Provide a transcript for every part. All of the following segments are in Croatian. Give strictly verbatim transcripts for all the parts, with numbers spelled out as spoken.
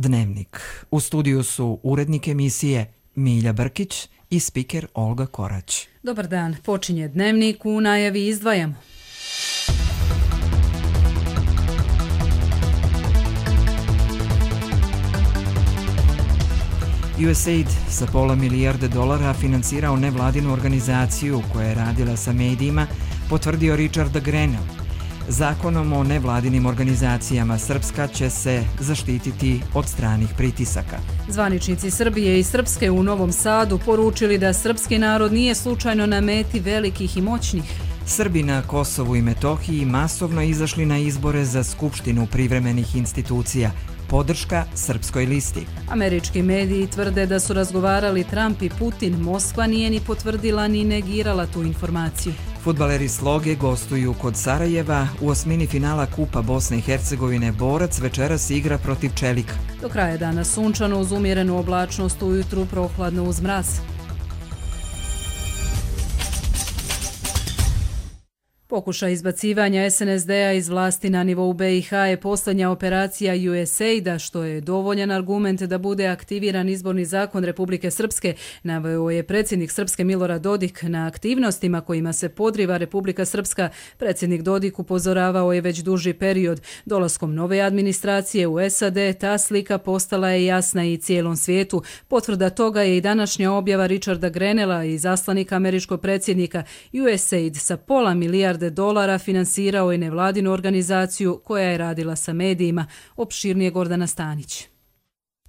Dnevnik. U studiju su urednik emisije Milja Brkić i spiker Olga Korać. Dobar dan, počinje Dnevnik, u najavi izdvajamo. U S A I D sa pola milijarde dolara financirao nevladinu organizaciju koja je radila sa medijima, potvrdio Richard Grenell. Zakonom o nevladinim organizacijama Srpska će se zaštititi od stranih pritisaka. Zvaničnici Srbije i Srpske u Novom Sadu poručili da srpski narod nije slučajno na meti velikih i moćnih. Srbi na Kosovu i Metohiji masovno izašli na izbore za Skupštinu privremenih institucija. Podrška Srpskoj listi. Američki mediji tvrde da su razgovarali Trump i Putin. Moskva nije ni potvrdila ni negirala tu informaciju. Fudbaleri Sloge gostuju kod Sarajeva. U osmini finala Kupa Bosne i Hercegovine Borac večeras igra protiv Čelika. Do kraja dana sunčano uz umjerenu oblačnost, ujutru prohladno uz mraz. Pokušaj izbacivanja S N S D-a iz vlasti na nivou B i H je posljednja operacija U S A I D-a, što je dovoljan argument da bude aktiviran izborni zakon Republike Srpske, naveo je predsjednik Srpske Milorad Dodik. Na aktivnostima kojima se podriva Republika Srpska, predsjednik Dodik upozoravao je već duži period. Dolaskom nove administracije u S A D ta slika postala je jasna i cijelom svijetu. Potvrda toga je i današnja objava Richarda Grenella, izaslanika američkog predsjednika. U S A I D sa pola milijarde dolara finansirao je nevladinu organizaciju koja je radila sa medijima. Opširnije Gordana Stanić.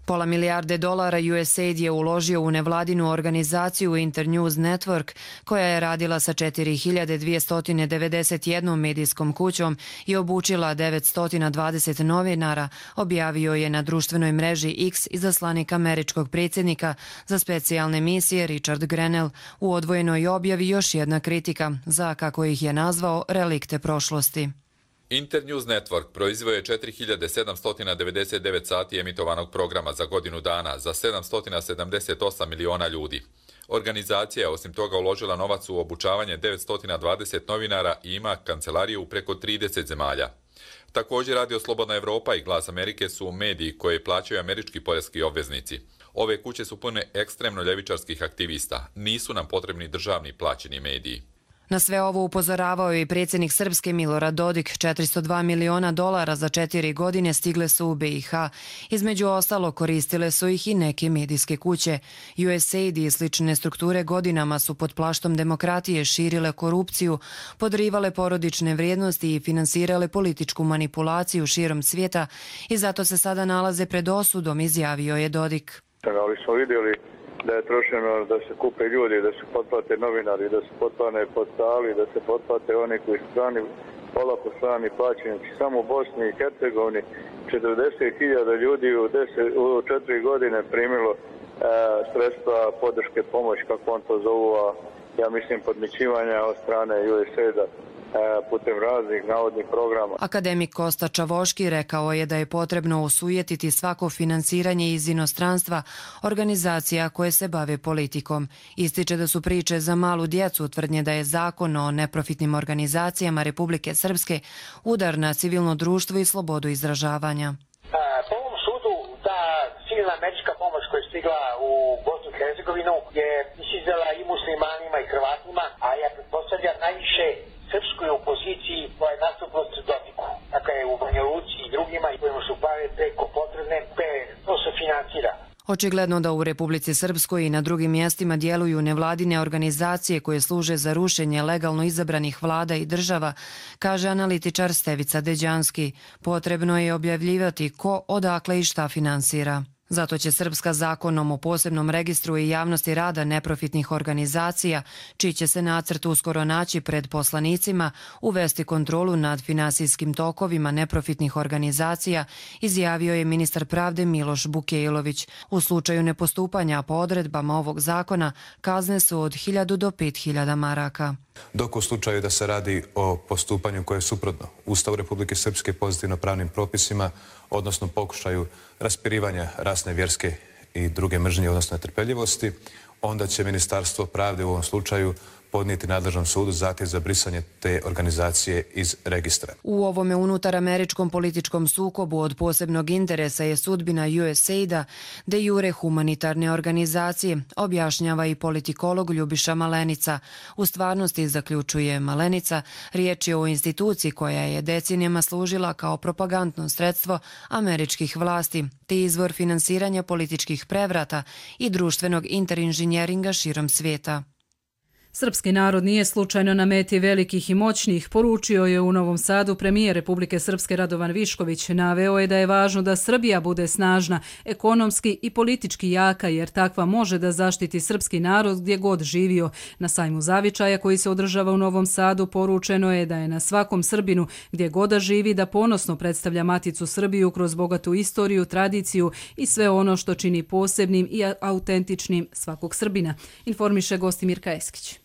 Pola milijarde dolara U S A I D je uložio u nevladinu organizaciju Internews Network, koja je radila sa četiri hiljade dvjesto devedeset jednom medijskom kućom i obučila devetsto dvadeset novinara, objavio je na društvenoj mreži X izaslanik američkog predsjednika za specijalne misije Richard Grenell. U odvojenoj objavi još jedna kritika za, kako ih je nazvao, relikte prošlosti. Internews Network proizveo je četiri hiljade sedamsto devedeset devet sati emitovanog programa za godinu dana za sedamsto sedamdeset osam miliona ljudi. Organizacija je osim toga uložila novac u obučavanje devetsto dvadeset novinara i ima kancelariju u preko trideset zemalja. Također Radio Slobodna Evropa i Glas Amerike su mediji koje plaćaju američki poreski obveznici. Ove kuće su pune ekstremno ljevičarskih aktivista. Nisu nam potrebni državni plaćeni mediji. Na sve ovo upozoravao je i predsjednik Srpske Milorad Dodik. četiristo dva miliona dolara za četiri godine stigle su u B i H. Između ostalo koristile su ih i neke medijske kuće. U S A I D i slične strukture godinama su pod plaštom demokratije širile korupciju, podrivale porodične vrijednosti i finansirale političku manipulaciju širom svijeta i zato se sada nalaze pred osudom, izjavio je Dodik. Ali smo vidjeli da je trošeno da se kupe ljudi, da se potplate novinari, da se potplane portali, da se potplate oni koji su strani, polako strani plaćenici. Samo u Bosni i Hercegovini četrdeset hiljada ljudi u, deset, u četiri godine primilo e, sredstva podrške pomoć, kako on to zovu, a ja mislim podmićivanja od strane U S A I D-a putem raznih navodnih programa. Akademik Kosta Čavoški rekao je da je potrebno osujetiti svako finansiranje iz inostranstva organizacija koje se bave politikom. Ističe da su priče za malu djecu, tvrdnje da je zakon o neprofitnim organizacijama Republike Srpske udar na civilno društvo i slobodu izražavanja. Po ovom sudu ta civilna američka pomoć koja je stigla u Bosnu i Hercegovinu je izizela i muslimanima i Hrvatima, a ja pretpostavljam najviše srpskoj opoziciji koja je nasuprot Dodiku. Dakle, u Banja Luci i drugima kojima su pare preko potrebne, to se financira. Očigledno da u Republici Srpskoj i na drugim mjestima djeluju nevladine organizacije koje služe za rušenje legalno izabranih vlada i država, kaže analitičar Stevica Deđanski. Potrebno je objavljivati ko, odakle i šta finansira. Zato će Srpska zakonom o posebnom registru i javnosti rada neprofitnih organizacija, čiji će se nacrt uskoro naći pred poslanicima, uvesti kontrolu nad finansijskim tokovima neprofitnih organizacija, izjavio je ministar pravde Miloš Bukejlović. U slučaju nepostupanja po odredbama ovog zakona kazne su od hiljadu do pet hiljada maraka. Dok u slučaju da se radi o postupanju koje je suprotno Ustavu Republike Srpske, pozitivno pravnim propisima, odnosno pokušaju raspirivanja rasne, vjerske i druge mržnje, odnosno netrpeljivosti, onda će Ministarstvo pravde u ovom slučaju podnijeti nadležnom sudu zahtjev za brisanje te organizacije iz registra. U ovome unutar američkom političkom sukobu od posebnog interesa je sudbina U S A I D-a, de jure humanitarne organizacije, objašnjava i politikolog Ljubiša Malenica. U stvarnosti, zaključuje Malenica, riječ je o instituciji koja je decenijama služila kao propagandno sredstvo američkih vlasti, te izvor finansiranja političkih prevrata i društvenog interinženjeringa širom svijeta. Srpski narod nije slučajno na meti velikih i moćnih, poručio je u Novom Sadu premijer Republike Srpske Radovan Višković. Naveo je da je važno da Srbija bude snažna, ekonomski i politički jaka, jer takva može da zaštiti srpski narod gdje god živio. Na sajmu zavičaja koji se održava u Novom Sadu poručeno je da je na svakom Srbinu gdje god da živi da ponosno predstavlja Maticu Srbiju kroz bogatu istoriju, tradiciju i sve ono što čini posebnim i autentičnim svakog Srbina, informiše Gostimir Kajeskić.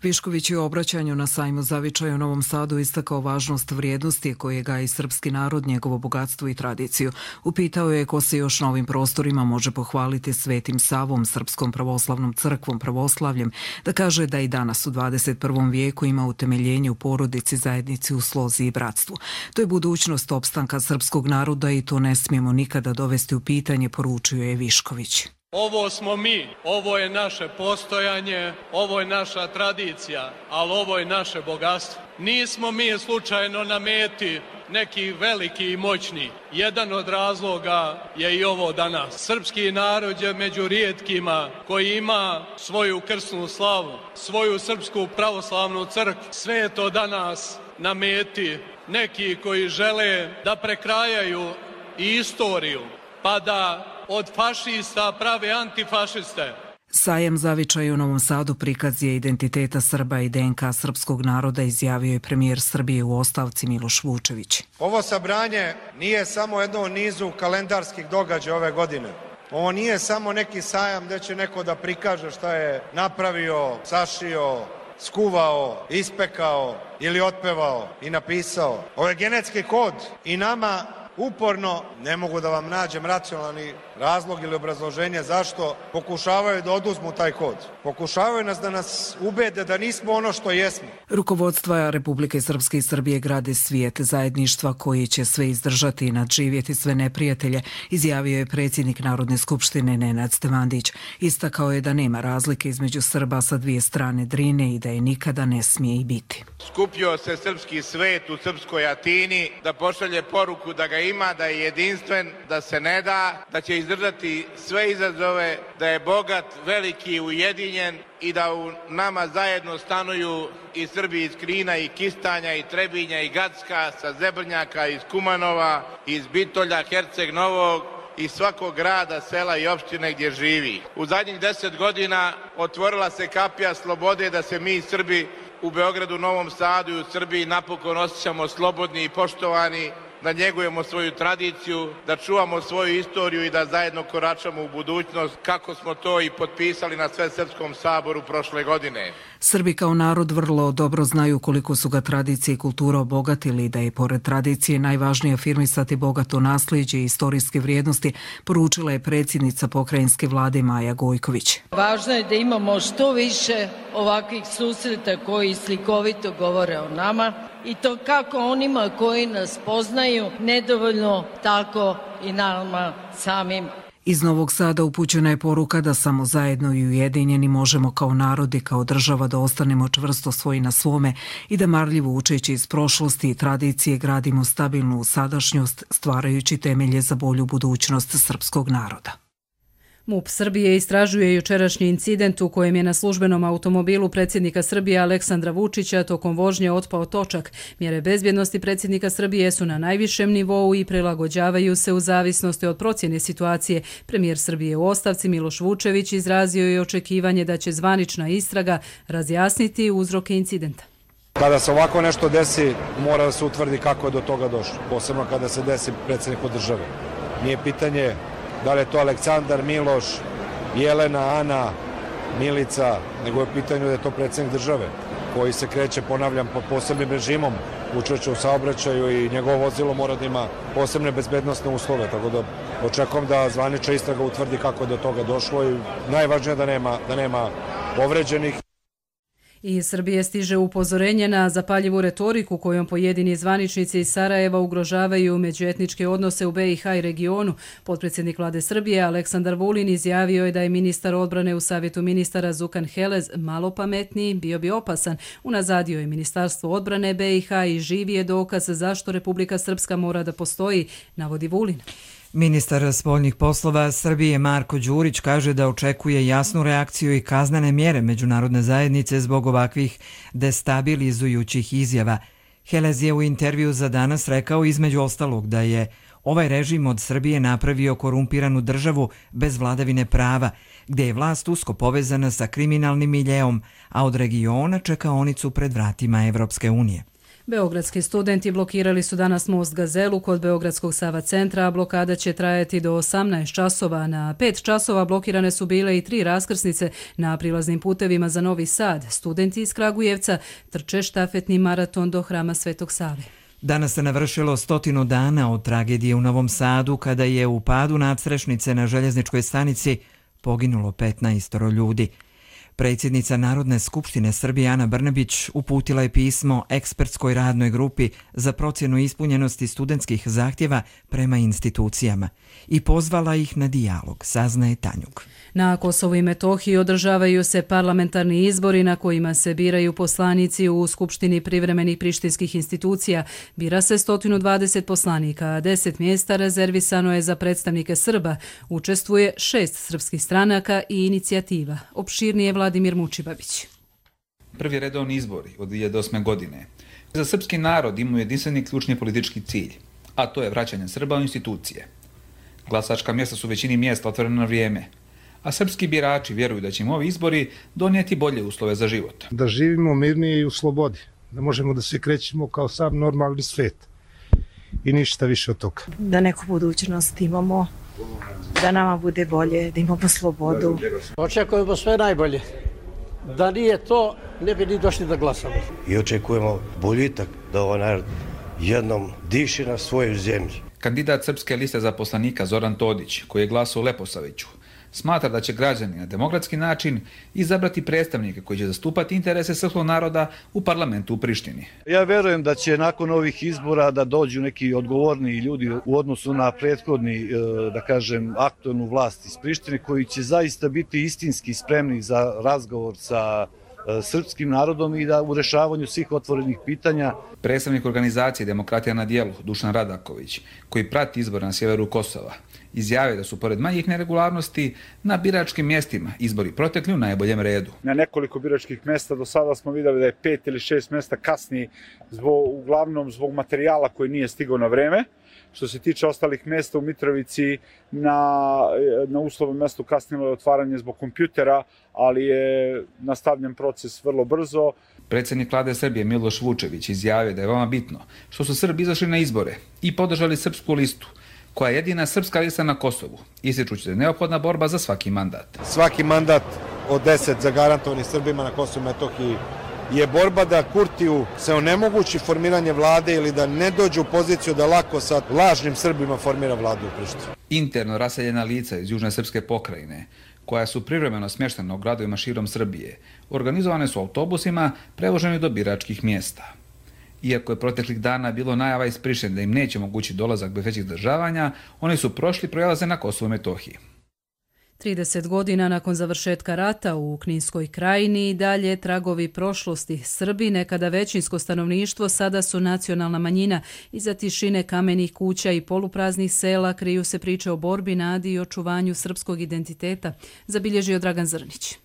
Višković je u obraćanju na sajmu zavičaja u Novom Sadu istakao važnost vrijednosti koje gaji srpski narod, njegovo bogatstvo i tradiciju. Upitao je ko se još na ovim prostorima može pohvaliti Svetim Savom, Srpskom pravoslavnom crkvom, pravoslavljem, da kaže da i danas u dvadeset prvom vijeku ima utemeljenje u porodici, zajednici, u slozi i bratstvu. To je budućnost opstanka srpskog naroda i to ne smijemo nikada dovesti u pitanje, poručio je Višković. Ovo smo mi, ovo je naše postojanje, ovo je naša tradicija, ali ovo je naše bogatstvo. Nismo mi slučajno na meti neki veliki i moćni. Jedan od razloga je i ovo danas. Srpski narod je među rijetkima koji ima svoju krsnu slavu, svoju srpsku pravoslavnu crkvu. Sve je to danas na meti neki koji žele da prekrajaju i istoriju, pa da od fašista prave antifašiste. Sajam zavičaja u Novom Sadu prikaz je identiteta Srba i D N K srpskog naroda, izjavio je premijer Srbije u ostavci Miloš Vučević. Ovo sabranje nije samo jedno u nizu kalendarskih događaja ove godine. Ovo nije samo neki sajam gdje će neko da prikaže šta je napravio, sašio, skuvao, ispekao ili otpevao i napisao. Ovo je genetski kod i nama uporno, ne mogu da vam nađem racionalni razlog ili obrazloženje zašto pokušavaju da oduzmu taj kod. Pokušavaju nas da nas ubede da nismo ono što jesmo. Rukovodstva Republike Srpske i Srbije grade svijet zajedništva koji će sve izdržati i nadživjeti sve neprijatelje, izjavio je predsjednik Narodne skupštine Nenad Stevandić. Istakao je da nema razlike između Srba sa dvije strane Drine i da je nikada ne smije i biti. Skupio se srpski svet u srpskoj Atini da pošalje poruku da ga ima, da je jedinstven, da se ne da, da će izdržati sve izazove, da je bogat, veliki, ujedinjen i da u nama zajedno stanuju i Srbi iz Krina i Kistanja i Trebinja i Gacka, sa Zebrnjaka, iz Kumanova, iz Bitolja, Herceg Novog i svakog grada, sela i opštine gdje živi. U zadnjih deset godina otvorila se kapija slobode da se mi Srbi u Beogradu, Novom Sadu i u Srbiji napokon osjećamo slobodni i poštovani, da njegujemo svoju tradiciju, da čuvamo svoju istoriju i da zajedno koračamo u budućnost, kako smo to i potpisali na Svesrpskom saboru prošle godine. Srbi kao narod vrlo dobro znaju koliko su ga tradicije i kultura obogatili, da je pored tradicije najvažnije afirmisati bogato nasljeđe i istorijske vrijednosti, poručila je predsjednica pokrajinske vlade Maja Gojković. Važno je da imamo što više ovakvih susreta koji slikovito govore o nama, i to kako onima koji nas poznaju, nedovoljno tako i nama samim. Iz Novog Sada upućena je poruka da samo zajedno i ujedinjeni možemo kao narod i kao država da ostanemo čvrsto svoji na svome i da marljivo učeći iz prošlosti i tradicije gradimo stabilnu sadašnjost, stvarajući temelje za bolju budućnost srpskog naroda. MUP Srbije istražuje jučerašnji incident u kojem je na službenom automobilu predsjednika Srbije Aleksandra Vučića tokom vožnje otpao točak. Mjere bezbjednosti predsjednika Srbije su na najvišem nivou i prilagođavaju se u zavisnosti od procjene situacije. Premijer Srbije u ostavci Miloš Vučević izrazio je očekivanje da će zvanična istraga razjasniti uzroke incidenta. Kada se ovako nešto desi, mora da se utvrdi kako je do toga došlo, posebno kada se desi predsjedniku države. Nije pitanje da li je to Aleksandar, Miloš, Jelena, Ana, Milica, nego je pitanje da je to predsjednik države koji se kreće, ponavljam, pod posebnim režimom, učešće u saobraćaju i njegovo vozilo mora da ima posebne bezbednosne uslove, tako da očekujem da zvanična istraga utvrdi kako je do toga došlo i najvažnije da nema, da nema povređenih. Iz Srbije stiže upozorenje na zapaljivu retoriku kojom pojedini zvaničnici iz Sarajeva ugrožavaju međuetničke odnose u be i ha i regionu. Potpredsjednik vlade Srbije Aleksandar Vulin izjavio je da je ministar odbrane u savjetu ministara Zukan Helez malo pametniji, bio bi opasan. Unazadio je ministarstvo odbrane be i ha i živi je dokaz zašto Republika Srpska mora da postoji, navodi Vulin. Ministar spoljnih poslova Srbije Marko Đurić kaže da očekuje jasnu reakciju i kaznene mjere međunarodne zajednice zbog ovakvih destabilizujućih izjava. Helez je u intervju za Danas rekao između ostalog da je ovaj režim od Srbije napravio korumpiranu državu bez vladavine prava, gdje je vlast usko povezana sa kriminalnim miljeom, a od regiona čekaonicu pred vratima Evropske unije. Beogradski studenti blokirali su danas most Gazelu kod Beogradskog Sava centra, a blokada će trajati do osamnaest časova. Na pet časova blokirane su bile i tri raskrsnice na prilaznim putevima za Novi Sad. Studenti iz Kragujevca trče štafetni maraton do Hrama Svetog Save. Danas se navršilo stotinu dana od tragedije u Novom Sadu kada je u padu nadstrešnice na željezničkoj stanici poginulo petnaest ljudi. Predsjednica Narodne skupštine Srbije Ana Brnabić uputila je pismo ekspertskoj radnoj grupi za procjenu ispunjenosti studentskih zahtjeva prema institucijama i pozvala ih na dijalog, saznaje Tanjug. Na Kosovu i Metohiji održavaju se parlamentarni izbori na kojima se biraju poslanici u Skupštini privremenih prištinskih institucija. Bira se sto dvadeset poslanika, a deset mjesta rezervisano je za predstavnike Srba. Učestvuje šest srpskih stranaka i inicijativa. Opširnije Vladimir Mučibabić. Prvi redovni izbori od dvije hiljade osme. godine za srpski narod imaju jedinstveni ključni politički cilj, a to je vraćanje Srba u institucije. Glasačka mjesta su u većini mjesta otvorena na vrijeme, a srpski birači vjeruju da će im ovi izbori donijeti bolje uslove za život. Da živimo mirnije i u slobodi, da možemo da se krećemo kao sam normalni svet i ništa više od toga. Da neku budućnost imamo, da nama bude bolje, da imamo slobodu. Očekujemo sve najbolje. Da nije to, ne bi ni došli da glasamo. I očekujemo boljitak da ovaj narod jednom diši na svojoj zemlji. Kandidat Srpske liste za poslanika Zoran Todić, koji je glasao u Leposaviću, smatra da će građani na demokratski način izabrati predstavnike koji će zastupati interese srpskog naroda u parlamentu u Prištini. Ja verujem da će nakon ovih izbora da dođu neki odgovorni ljudi u odnosu na prethodni, da kažem, aktualnu vlast iz Prištine, koji će zaista biti istinski spremni za razgovor sa srpskim narodom i da u rešavanju svih otvorenih pitanja. Predstavnik organizacije Demokratija na dijelu, Dušan Radaković, koji prati izbore na sjeveru Kosova, izjavio da su pored manjih neregularnosti na biračkim mjestima izbori protekli u najboljem redu. Na nekoliko biračkih mjesta do sada smo vidjeli da je pet ili šest mjesta kasni, zbog, uglavnom zbog materijala koji nije stigao na vreme. Što se tiče ostalih mjesta u Mitrovici, na, na uslovnom mjestu kasnilo je otvaranje zbog kompjutera, ali je nastavljen proces vrlo brzo. Predsjednik vlade Srbije Miloš Vučević izjavio da je veoma bitno što su Srbi izašli na izbore i podržali srpsku listu, koja je jedina srpska lista na Kosovu, ističući da je neophodna borba za svaki mandat. Svaki mandat od deset zagarantovanih Srbima na Kosovu i Metohiji je borba da Kurtiju se onemogući formiranje vlade ili da ne dođe u poziciju da lako sa lažnim Srbima formira vladu u Prištini. Interno raseljena lica iz južne srpske pokrajine, koja su privremeno smještena u gradovima širom Srbije, organizovane su autobusima prevoženi do biračkih mjesta. Iako je proteklih dana bilo najava iz Prištine da im neće mogući dolazak bez većih zdržavanja, oni su prošli prelaze na Kosovo i Metohiji. trideset godina nakon završetka rata u Kninskoj krajini i dalje tragovi prošlosti. Srbi, nekada većinsko stanovništvo, sada su nacionalna manjina. Iza tišine kamenih kuća i polupraznih sela kriju se priče o borbi, nadi i očuvanju srpskog identiteta, zabilježio Dragan Zrnić.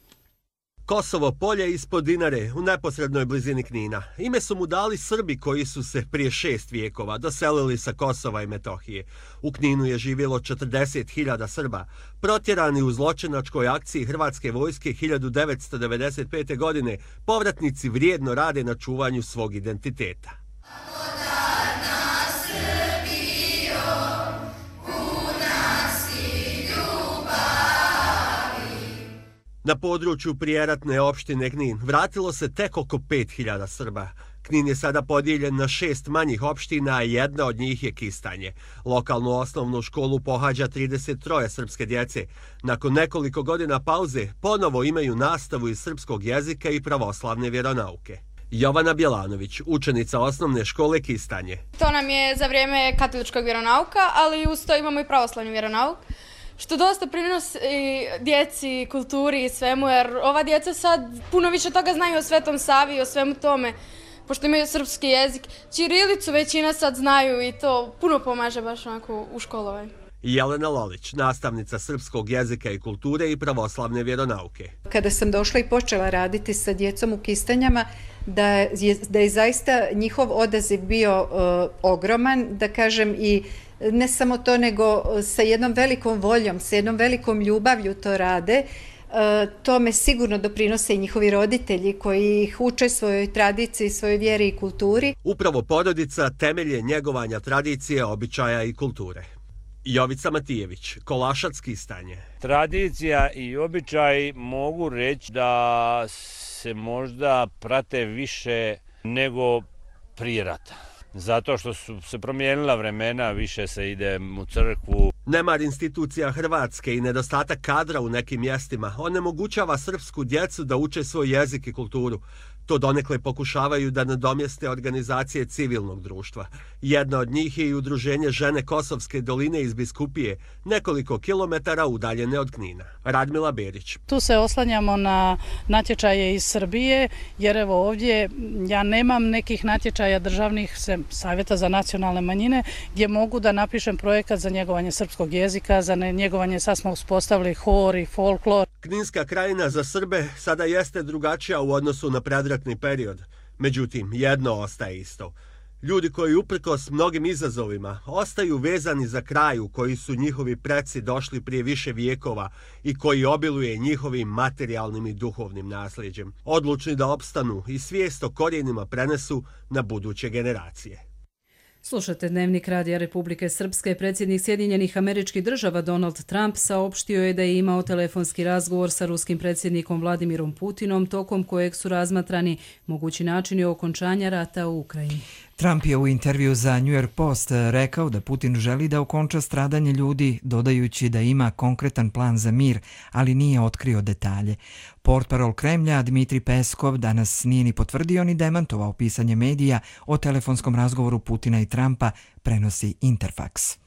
Kosovo polje ispod Dinare, u neposrednoj blizini Knina. Ime su mu dali Srbi koji su se prije šest vijekova doselili sa Kosova i Metohije. U Kninu je živjelo četrdeset hiljada Srba, protjerani u zločinačkoj akciji Hrvatske vojske hiljadu devetsto devedeset pete. godine. Povratnici vrijedno rade na čuvanju svog identiteta. Na području prijeratne opštine Knin vratilo se tek oko pet hiljada Srba. Knin je sada podijeljen na šest manjih opština, a jedna od njih je Kistanje. Lokalnu osnovnu školu pohađa trideset tri srpske djece. Nakon nekoliko godina pauze ponovo imaju nastavu iz srpskog jezika i pravoslavne vjeronauke. Jovana Bjelanović, učenica osnovne škole Kistanje. To nam je za vrijeme katoličkog vjeronauka, ali uz to imamo i pravoslavni vjeronauk, što dosta prinosi djeci, kulturi i svemu, jer ova djeca sad puno više toga znaju o Svetom Savi i o svemu tome, pošto imaju srpski jezik. Ćirilicu većina sad znaju i to puno pomaže baš onako u školovanju. Jelena Lolić, nastavnica srpskog jezika i kulture i pravoslavne vjeronauke. Kada sam došla i počela raditi sa djecom u Kistanjama, da je, da je zaista njihov odaziv bio uh, ogroman, da kažem, i ne samo to, nego sa jednom velikom voljom, sa jednom velikom ljubavlju to rade. Uh, tome sigurno doprinose i njihovi roditelji koji ih uče svojoj tradiciji, svojoj vjeri i kulturi. Upravo porodica temelje njegovanja tradicije, običaja i kulture. Jovica Matijević, Kolašac, Kistanje. Tradicija i običaj mogu reći da se možda prate više nego prije rata. Zato što su se promijenila vremena, više se ide u crkvu. Nemar institucija Hrvatske i nedostatak kadra u nekim mjestima onemogućava srpsku djecu da uče svoj jezik i kulturu. To donekle pokušavaju da nadomjeste organizacije civilnog društva. Jedna od njih je i udruženje Žene Kosovske doline iz Biskupije, nekoliko kilometara udaljene od Knina. Radmila Berić. Tu se oslanjamo na natječaje iz Srbije, jer evo ovdje ja nemam nekih natječaja državnih savjeta za nacionalne manjine gdje mogu da napišem projekat za njegovanje srpskog jezika, za njegovanje, sad smo uspostavili hor i folklor. Kninska krajina za Srbe sada jeste drugačija u odnosu na predratni period. Međutim, jedno ostaje isto. Ljudi koji uprkos mnogim izazovima ostaju vezani za kraj u koji su njihovi preci došli prije više vijekova i koji obiluje njihovim materijalnim i duhovnim nasljeđem. Odlučni da opstanu i svijest o korijenima prenesu na buduće generacije. Slušate Dnevnik Radija Republike Srpske. Predsjednik Sjedinjenih Američkih Država Donald Trump saopštio je da je imao telefonski razgovor sa ruskim predsjednikom Vladimirom Putinom, tokom kojeg su razmatrani mogući načini okončanja rata u Ukrajini. Trump je u intervju za New York Post rekao da Putin želi da okonča stradanje ljudi, dodajući da ima konkretan plan za mir, ali nije otkrio detalje. Portparol Kremlja Dmitri Peskov danas nije ni potvrdio ni demantovao pisanje medija o telefonskom razgovoru Putina i Trumpa, prenosi Interfax.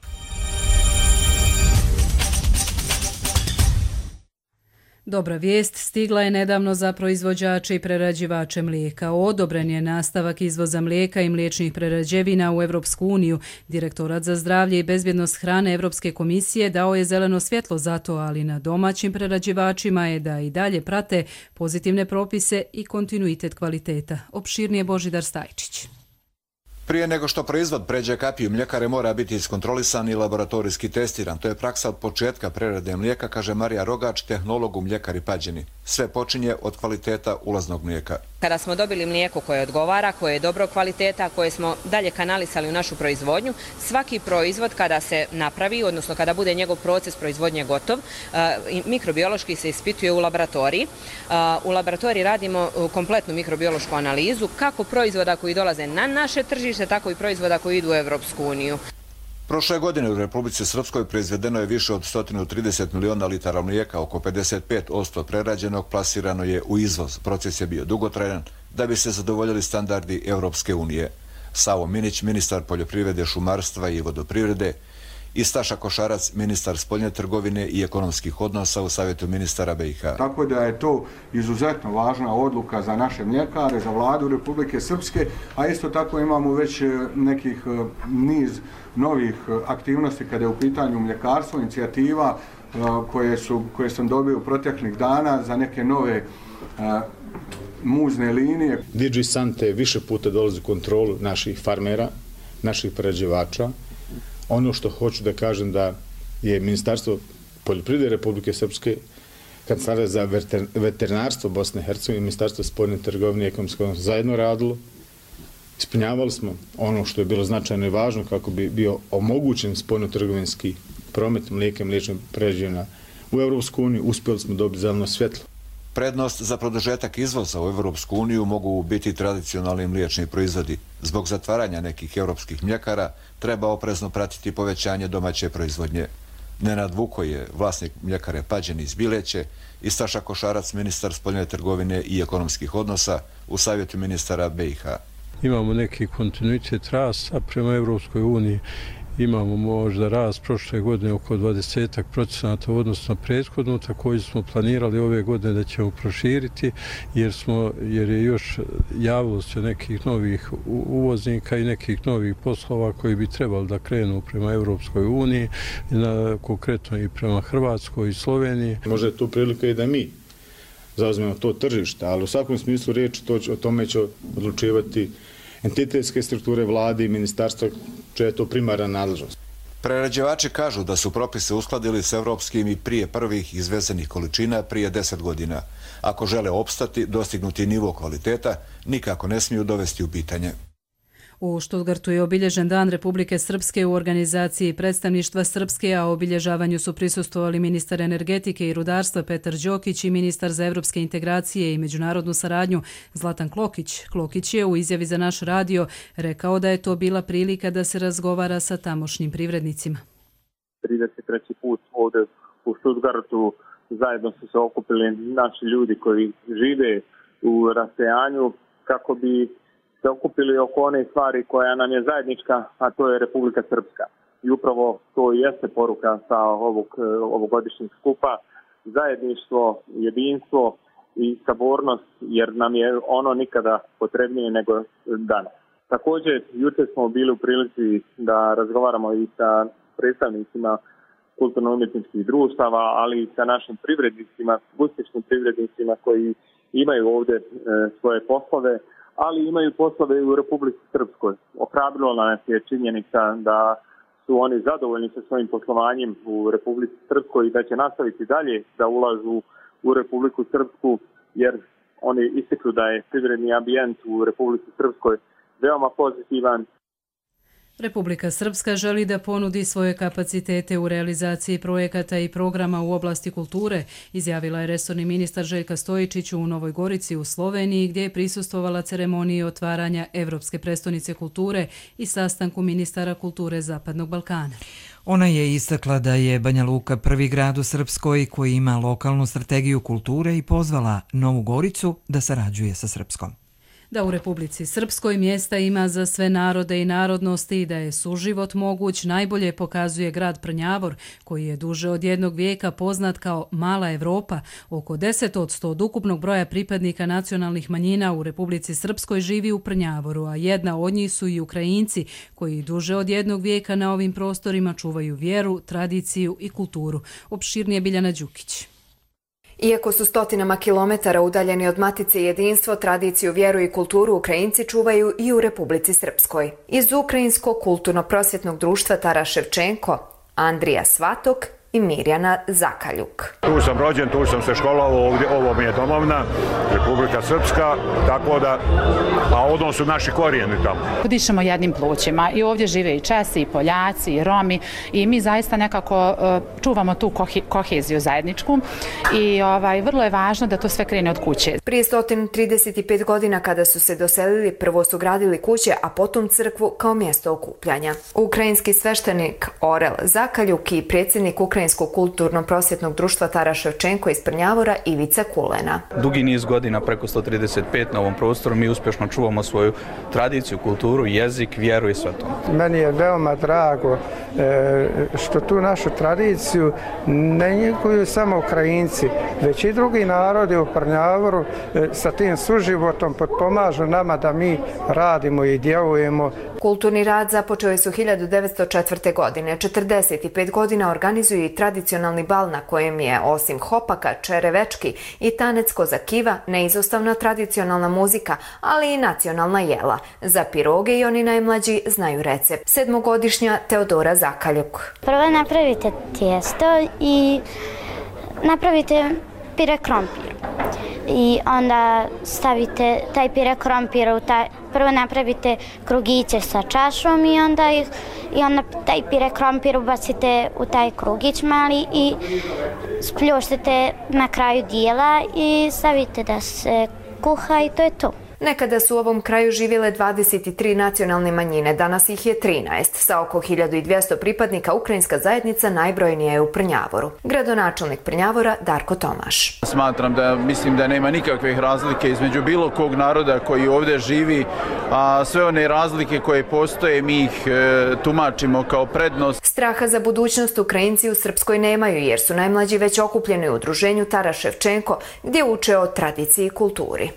Dobra vijest stigla je nedavno za proizvođače i prerađivače mlijeka. Odobren je nastavak izvoza mlijeka i mliječnih prerađevina u Evropsku uniju. Direktorat za zdravlje i bezbjednost hrane Evropske komisije dao je zeleno svjetlo za to, ali na domaćim prerađivačima je da i dalje prate pozitivne propise i kontinuitet kvaliteta. Opširnije Božidar Stajčić. Prije nego što proizvod pređe kapiju mljekare mora biti iskontrolisan i laboratorijski testiran. To je praksa od početka prerade mlijeka, kaže Marija Rogač, tehnolog u mljekari Pađeni. Sve počinje od kvaliteta ulaznog mlijeka. Kada smo dobili mlijeko koje odgovara, koje je dobro kvaliteta, koje smo dalje kanalisali u našu proizvodnju, svaki proizvod kada se napravi, odnosno kada bude njegov proces proizvodnje gotov, mikrobiološki se ispituje u laboratoriji. U laboratoriji radimo kompletnu mikrobiološku analizu kako proizvoda koji dolaze na naše tržište, tako i proizvoda koji idu u Evropsku uniju. Prošle godine u Republici Srpskoj proizvedeno je više od sto trideset miliona litara mlijeka, oko pedeset pet posto prerađenog plasirano je u izvoz. Proces je bio dugotrajan da bi se zadovoljili standardi Evropske unije. Savo Minić, ministar poljoprivrede, šumarstva i vodoprivrede, i Staša Košarac, ministar spoljne trgovine i ekonomskih odnosa u Savjetu ministara B i H. Tako da je to izuzetno važna odluka za naše mljekare, za vladu Republike Srpske, a isto tako imamo već nekih niz novih aktivnosti kada je u pitanju mljekarstvo, inicijativa koje, su, koje sam dobio proteklih dana za neke nove muzne linije. D G Sante više puta dolazi u kontrolu naših farmera, naših prerađivača. Ono što hoću da kažem da je Ministarstvo poljoprivrede Republike Srpske, Kancelarija za veterinarstvo Bosne i Hercegovine i Ministarstvo spoljne trgovine i ekonomskog zajedno radilo. Ispunjavali smo ono što je bilo značajno i važno kako bi bio omogućen spoljno-trgovinski promet mlijeka i mliječnih prerađevina u Evropsku uniju. Uspjeli smo dobiti zeleno svjetlo. Prednost za produžetak izvoza u Evropsku uniju mogu biti tradicionalni mliječni proizvodi. Zbog zatvaranja nekih europskih mljekara treba oprezno pratiti povećanje domaće proizvodnje. Nenad Vuko je vlasnik mljekare Pađen iz Bileće i Staša Košarac, ministar spoljne trgovine i ekonomskih odnosa u Savjetu ministara B i H. Imamo neki kontinuitet rasta prema Evropskoj uniji. Imamo možda rast prošle godine oko dvadeset procenata u odnosu na prethodnu, također smo planirali ove godine da ćemo proširiti jer, smo, jer je još javilo se nekih novih uvoznika i nekih novih poslova koji bi trebali da krenu prema Evropskoj uniji, na, konkretno i prema Hrvatskoj i Sloveniji. Možda je tu prilika i da mi zauzmemo to tržište, ali u svakom smislu riječi to, o tome će odlučivati entitetske strukture vlade i ministarstva, čija je to primarna nadležnost. Prerađivači kažu da su propise uskladili s evropskim i prije prvih izvezenih količina prije deset godina. Ako žele opstati, dostignuti nivo kvaliteta, nikako ne smiju dovesti u pitanje. U Stuttgartu je obilježen Dan Republike Srpske u organizaciji predstavništva Srpske, a obilježavanju su prisustvovali ministar energetike i rudarstva Petar Đokić i ministar za evropske integracije i međunarodnu saradnju Zlatan Klokić. Klokić je u izjavi za naš radio rekao da je to bila prilika da se razgovara sa tamošnjim privrednicima. trideset treći put ovdje u Stuttgartu zajedno su se okupili naši ljudi koji žive u rasejanju kako bi se okupili oko one stvari koja nam je zajednička, a to je Republika Srpska. I upravo to jeste poruka sa ovog ovogodišnjeg skupa, zajedništvo, jedinstvo i sabornost, jer nam je ono nikada potrebnije nego danas. Također, jučer smo bili u prilici da razgovaramo i sa predstavnicima kulturno-umjetničkih društava, ali i sa našim privrednicima, uspješnim privrednicima koji imaju ovdje e, svoje poslove, ali imaju poslove i u Republici Srpskoj. Ohrabrilo nas je činjenica da su oni zadovoljni sa svojim poslovanjem u Republici Srpskoj i da će nastaviti dalje da ulažu u Republiku Srpsku, jer oni ističu da je privredni ambijent u Republici Srpskoj veoma pozitivan. Republika Srpska želi da ponudi svoje kapacitete u realizaciji projekata i programa u oblasti kulture, izjavila je resorni ministar Željka Stojičić u Novoj Gorici u Sloveniji, gdje je prisustvovala ceremoniji otvaranja Evropske prestonice kulture i sastanku ministara kulture Zapadnog Balkana. Ona je istakla da je Banja Luka prvi grad u Srpskoj koji ima lokalnu strategiju kulture i pozvala Novu Goricu da sarađuje sa Srpskom. Da u Republici Srpskoj mjesta ima za sve narode i narodnosti i da je suživot moguć najbolje pokazuje grad Prnjavor, koji je duže od jednog vijeka poznat kao Mala Evropa. Oko deset posto od ukupnog broja pripadnika nacionalnih manjina u Republici Srpskoj živi u Prnjavoru, a jedna od njih su i Ukrajinci, koji duže od jednog vijeka na ovim prostorima čuvaju vjeru, tradiciju i kulturu. Opširnije Biljana Đukić. Iako su stotinama kilometara udaljeni od matice jedinstvo, tradiciju, vjeru i kulturu Ukrajinci čuvaju i u Republici Srpskoj. Iz Ukrajinskog kulturno-prosvjetnog društva Taras Ševčenko, Andrija Svatok i Mirjana Zakaljuk. Tu sam rođen, tu sam se školovao, ovdje, ovo mi je domovna, Republika Srpska, tako da, a odnos su naši korijeni tamo. Dišemo jednim plućima i ovdje žive i Česi, i Poljaci, i Romi i mi zaista nekako uh, čuvamo tu kohi, koheziju zajedničku i ovaj, vrlo je važno da to sve krene od kuće. Prije sto trideset pet godina kada su se doselili, prvo su gradili kuće, a potom crkvu kao mjesto okupljanja. Ukrajinski sveštenik Orel Zakaljuk i predsjednik Ukrajinskog kulturno-prosvjetnog društva Taras Ševčenko iz Prnjavora Ivica Kulena. Dugi niz godina, preko sto trideset pet na ovom prostoru, mi uspješno čuvamo svoju tradiciju, kulturu, jezik, vjeru i sve to. Meni je veoma drago što tu našu tradiciju ne njeguju samo Ukrajinci, već i drugi narodi u Prnjavoru sa tim suživotom potpomažu nama da mi radimo i djelujemo. Kulturni rad započeli su hiljadu devetsto četvrte. godine. četrdeset pet godina organizuju i tradicionalni bal na kojem je, osim hopaka, čerevečki i tanec kozakiva, neizostavna tradicionalna muzika, ali i nacionalna jela. Za piroge i oni najmlađi znaju recept. Sedmogodišnja Teodora Zakaljuk. Prvo napravite tijesto i napravite pire krompir. I onda stavite taj pire krompir u taj, prvo napravite krugiće sa čašom i onda, ih, i onda taj pire krompir ubacite u taj krugić mali i spljuštite na kraju dijela i stavite da se kuha i to je to. Nekada su u ovom kraju živjele dvadeset tri nacionalne manjine, danas ih je trinaest. Sa oko hiljadu dvjesto pripadnika ukrajinska zajednica najbrojnija je u Prnjavoru. Gradonačelnik Prnjavora Darko Tomaš. Smatram da mislim da nema nikakvih razlike između bilo kog naroda koji ovdje živi, a sve one razlike koje postoje mi ih e, tumačimo kao prednost. Straha za budućnost Ukrajinci u Srpskoj nemaju jer su najmlađi već okupljeni u udruženju Taras Ševčenko gdje uče o tradiciji i kulturi.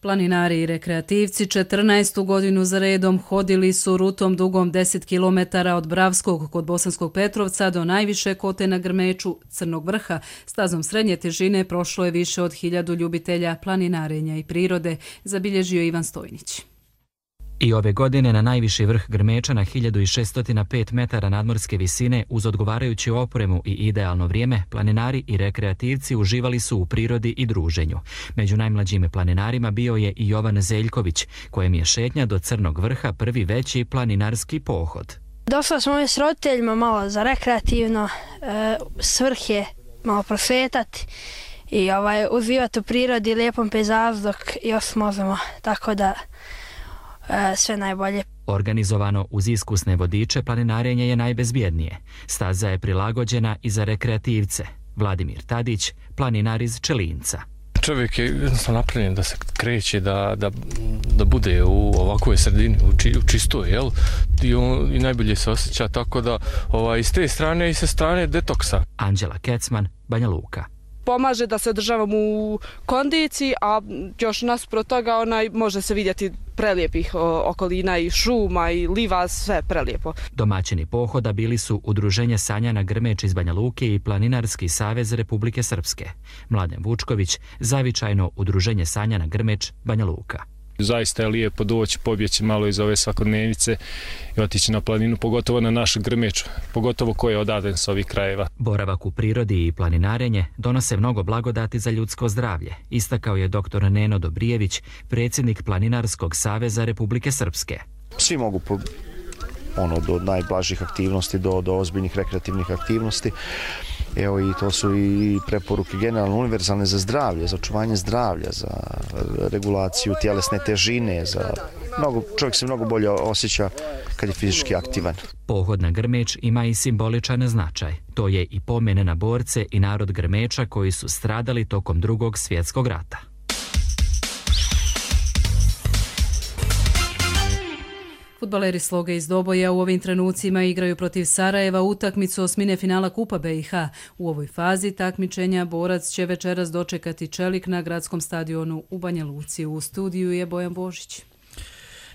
Planinari i rekreativci četrnaestu godinu za redom hodili su rutom dugom deset kilometara od Bravskog kod Bosanskog Petrovca do najviše kote na Grmeču Crnog vrha. Stazom srednje težine prošlo je više od hiljadu ljubitelja planinarenja i prirode, zabilježio Ivan Stojnić. I ove godine na najviši vrh Grmeča na hiljadu šesto pet metara nadmorske visine uz odgovarajuću opremu i idealno vrijeme, planinari i rekreativci uživali su u prirodi i druženju. Među najmlađim planinarima bio je i Jovan Zeljković, kojem je šetnja do Crnog vrha prvi veći planinarski pohod. Došli smo s roditeljima malo za rekreativno, e, svrh je malo prosvetati i ovaj, uživati u prirodi, lijepom pejzažu dok još možemo, tako da sve najbolje. Organizovano uz iskusne vodiče, planinarenje je najbezbjednije. Staza je prilagođena i za rekreativce. Vladimir Tadić, planinar iz Čelinca. Čovjek je jednostavno napravljen da se kreće, da, da, da bude u ovakvoj sredini, u, či, u čistoj, jel? I, on, i najbolje se osjeća, tako da ovaj, s te strane i sa strane detoksa. Anđela Kecman, Banja Luka. Pomaže da se održavamo u kondiciji, a još nasprot toga onaj, može se vidjeti prelijepih okolina i šuma i liva, sve prelijepo. Domaćini pohoda bili su Udruženje Sanjana Grmeč iz Banja Luke i Planinarski savez Republike Srpske. Mladen Vučković, zavičajno Udruženje Sanjana Grmeč, Banja Luka. Zaista je lijepo doći, pobjeći malo iz ove svakodnevice i otići na planinu, pogotovo na našu Grmeču, pogotovo ko je odaden s ovih krajeva. Boravak u prirodi i planinarenje donose mnogo blagodati za ljudsko zdravlje, istakao je doktor Neno Dobrijević, predsjednik Planinarskog saveza Republike Srpske. Svi mogu ono, do najblažih aktivnosti do, do ozbiljnih rekreativnih aktivnosti. Evo i to su i preporuke generalno univerzalne za zdravlje, za očuvanje zdravlja, za regulaciju tjelesne težine, za mnogo, čovjek se mnogo bolje osjeća kad je fizički aktivan. Pohod na Grmeč ima i simboličan značaj. To je i pomen na borce i narod Grmeča koji su stradali tokom Drugog svjetskog rata. Fudbaleri Sloge iz Doboja u ovim trenucima igraju protiv Sarajeva utakmicu osmine finala Kupa B i H. U ovoj fazi takmičenja borac će večeras dočekati Čelik na gradskom stadionu u Banja Luci. U studiju je Bojan Božić.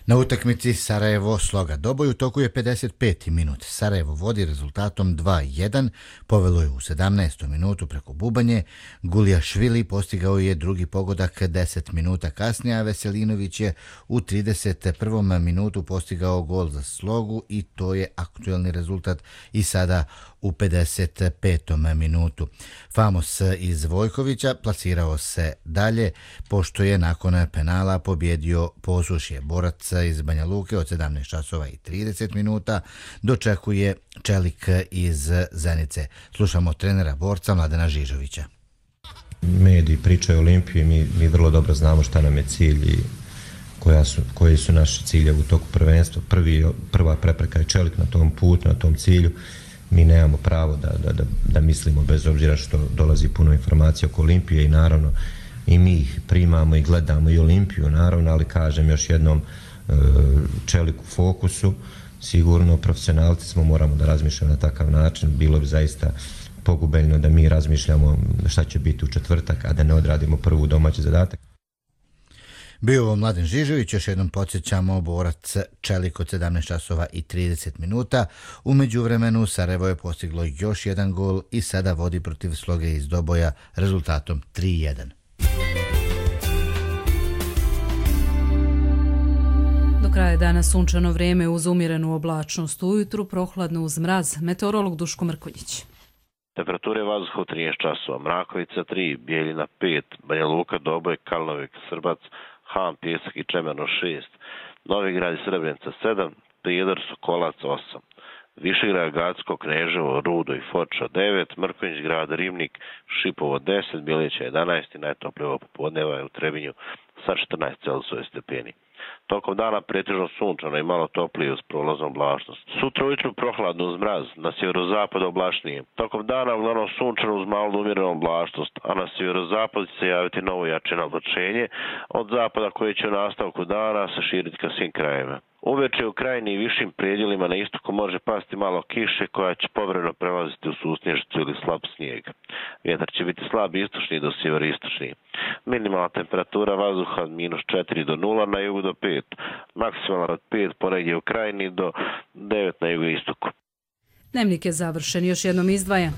Na utakmici Sarajevo Sloga Doboj u toku je pedeset peti minut. Sarajevo vodi rezultatom dva jedan, povelo je u sedamnaestom minutu preko Bubanje. Guljašvili postigao je drugi pogodak deset minuta kasnije, a Veselinović je u trideset prvom minutu postigao gol za Slogu i to je aktuelni rezultat i sada u pedeset petom minutu. Famos iz Vojkovića plasirao se dalje, pošto je nakon penala pobjedio Posušje. Borac iz Banja Luke od sedamnaest časova i trideset minuta dočekuje Čelik iz Zenice. Slušamo trenera borca Mladena Žižovića. Mediji pričaju o Olimpiji, mi, mi vrlo dobro znamo šta nam je cilj i koja su, koji su naši ciljevi u toku prvenstva. Prvi, prva prepreka je Čelik na tom putu, na tom cilju. Mi nemamo pravo da, da, da, da mislimo, bez obzira što dolazi puno informacija oko Olimpije i naravno i mi ih primamo i gledamo i Olimpiju naravno, ali kažem još jednom, Čelik u fokusu, sigurno profesionalci smo, moramo da razmišljamo na takav način. Bilo bi zaista pogubeljno da mi razmišljamo šta će biti u četvrtak, a da ne odradimo prvu domaći zadatak. Bio ovo Mladen Žižović, još jednom podsjećamo borac Čelik od sedamnaest časova i trideset minuta. U međuvremenu Sarajevo je postiglo još jedan gol i sada vodi protiv Sloge iz Doboja rezultatom tri jedan. Do kraja dana sunčano vrijeme uz umjerenu oblačnost, ujutru prohladno uz mraz. Meteorolog Duško Mrkonjić. Temperature vazduha u trinaest časova, Mrakovica tri, Bijeljina pet, Banja Luka, Doboj, Kalnovik, Srbac, Han, Pjesak i Čemerno šest, Novi Grad i Srebrenica sedam, Prijedor, Sokolac osam, Višegrad, Gacko, Kneževo, Rudo i Foča devet, Mrkonjić grad, Ribnik, Šipovo deset, Bjelića jedanaest i najtoplije popodneva je u Trebinju sa četrnaest Celzijusovih stepeni. Tokom dana pretežno sunčano i malo toplije uz prolaznu oblačnost. Sutra ujutru prohladno uz mraz, na sjeverozapadu oblačnije. Tokom dana uglavnom sunčano uz malo umjerenu oblačnost, a na sjeverozapadu će se javiti novo jačeno oblačenje od zapada koje će u nastavku dana se širiti ka svim krajevima. Uveče u krajini i višim predjelima na istoku može pasti malo kiše koja će povremeno prelaziti u susnježicu ili slab snijeg. Vjetar će biti slab istočni do sjeveristočni. Minimalna temperatura vazduha od minus četiri do nula, na jugu do pet. Maksimalna od pet ponegdje u krajini do devet na jugoistoku. Dnevnik je završen, još jednom izdvaja.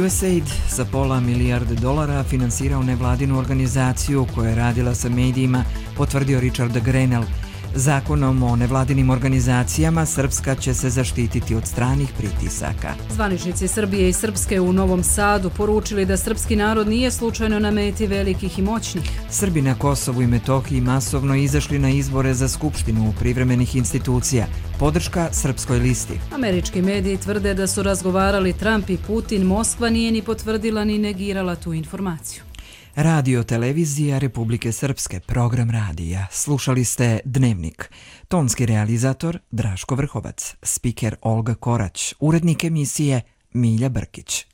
U S A I D za pola milijarde dolara finansirao nevladinu organizaciju koja je radila sa medijima, potvrdio Richard Grenell. Zakonom o nevladinim organizacijama Srpska će se zaštititi od stranih pritisaka. Zvaničnici Srbije i Srpske u Novom Sadu poručili da srpski narod nije slučajno na meti velikih i moćnih. Srbi na Kosovu i Metohiji masovno izašli na izbore za skupštinu privremenih institucija. Podrška Srpskoj listi. Američki mediji tvrde da su razgovarali Trump i Putin. Moskva nije ni potvrdila ni negirala tu informaciju. Radio televizija Republike Srpske, program radija. Slušali ste Dnevnik. Tonski realizator Draško Vrhovac, spiker Olga Korać, urednik emisije Milja Brkić.